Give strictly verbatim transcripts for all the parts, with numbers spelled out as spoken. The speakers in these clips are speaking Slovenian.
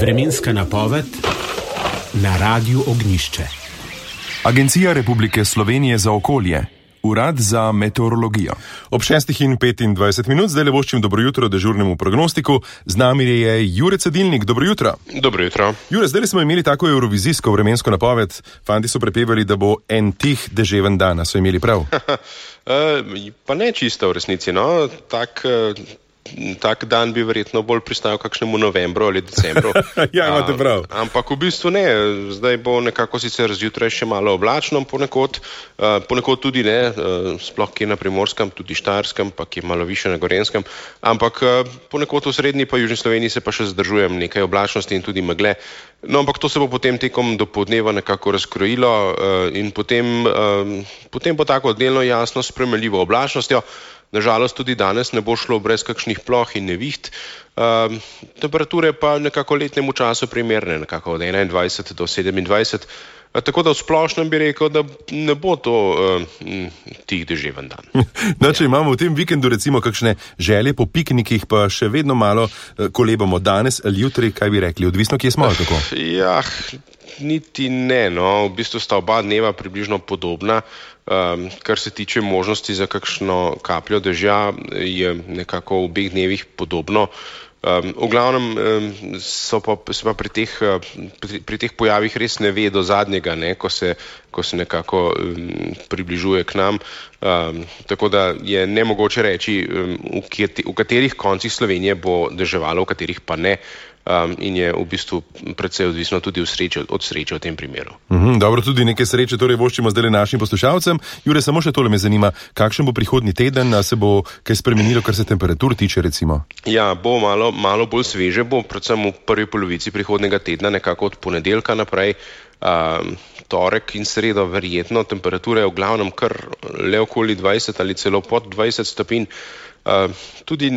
Vremenska napoved na Radiu Ognjišče. Agencija Republike Slovenije za okolje, Urad za meteorologijo. Ob šestih in petindvajset minut zdaj le voščim dobro jutro dežurnemu prognostiku. Z nami je Jure Cedilnik. Dobro jutro. Dobro jutro. Jure, zdaj smo imeli tako eurovizijsko vremensko napoved. Fanti so prepevali, da bo en tih deževen dan. So imeli prav? Pa ne čisto v resnici, no. Tak... Tak dan bi verjetno bolj pristajal kakšnemu novembru ali decembru. Ja, imate prav. A, ampak v bistvu ne. Zdaj bo nekako sicer zjutraj še malo oblačno, ponekod, uh, ponekod tudi ne, uh, sploh kje na Primorskem, tudi Štajerskem, pa kje malo više na Gorenskem, ampak uh, ponekod v srednji pa južni Sloveniji se pa še zadržujem nekaj oblačnosti in tudi megle. No, ampak to se bo potem tekom dopoldneva nekako razkrojilo uh, in potem, uh, potem bo tako delno jasno s sprejemljivo oblačnostjo. Nažalost tudi danes ne bo šlo brez kakšnih ploh in neviht. Uh, temperature pa nekako letnemu času primerne, nekako od enaindvajset do sedemindvajset. Uh, tako da v splošnem bi rekel, da ne bo to uh, tih deževen dan. No, če imamo v tem vikendu recimo kakšne želje po piknikih, pa še vedno malo uh, kolebamo danes ali jutri, kaj bi rekli, odvisno kje smo, kako? Ja, niti ne, no, v bistvu sta oba dneva približno podobna. Um, kar se tiče možnosti za kakšno kapljo dežja, je nekako v obeh dnevih podobno. Um, v glavnem um, so pa, se pa pri teh, uh, pri, pri teh pojavih res ne ve do zadnjega, ne, ko se, ko se nekako um, približuje k nam. Um, tako da je nemogoče reči, um, v, kje, v katerih koncih Slovenije bo deževalo, v katerih pa ne. Um, in je v bistvu predvsej odvisno tudi sreče, od sreče v tem primeru. Mm-hmm, dobro, tudi nekaj sreče torej voščimo zdaj našim poslušalcem. Jure, samo še tole me zanima, kakšen bo prihodnji teden, a se bo kaj spremenilo, kar se temperatur tiče recimo? Ja, bo malo, malo bolj sveže, bo predvsem v prvi polovici prihodnega tedna, nekako od ponedeljka naprej, um, torek in sredo verjetno, temperature v glavnem kar le okoli dvajset ali celo pod dvajset stopinj. Uh, tudi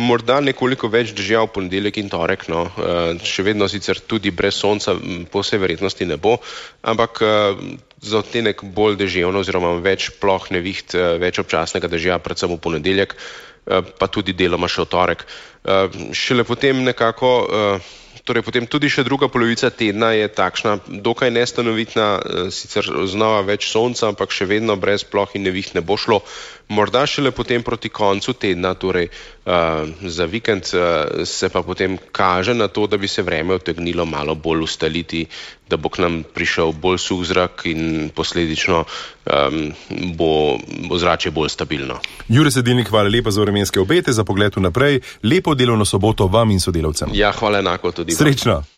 morda nekoliko več dežja v ponedeljek in torek, no. uh, še vedno sicer tudi brez sonca po vsej verjetnosti ne bo, ampak uh, za odtenek bolj deževno oziroma več ploh neviht, uh, več občasnega dežja, predvsem v ponedeljek, uh, pa tudi deloma še v torek. Uh, šele potem nekako, uh, torej potem tudi še druga polovica tedna je takšna, dokaj nestanovitna, uh, sicer znova več sonca, ampak še vedno brez ploh in neviht ne bo šlo. Morda šele potem proti koncu tedna, torej uh, za vikend, uh, se pa potem kaže na to, da bi se vreme utegnilo malo bolj ustaliti, da bo k nam prišel bolj suh zrak in posledično um, bo ozračje bolj stabilno. Jure Cedilnik, hvala lepa za vremenske obete, za pogled vnaprej. Lepo delovno soboto vam in sodelavcem. Ja, hvala enako tudi. Srečno.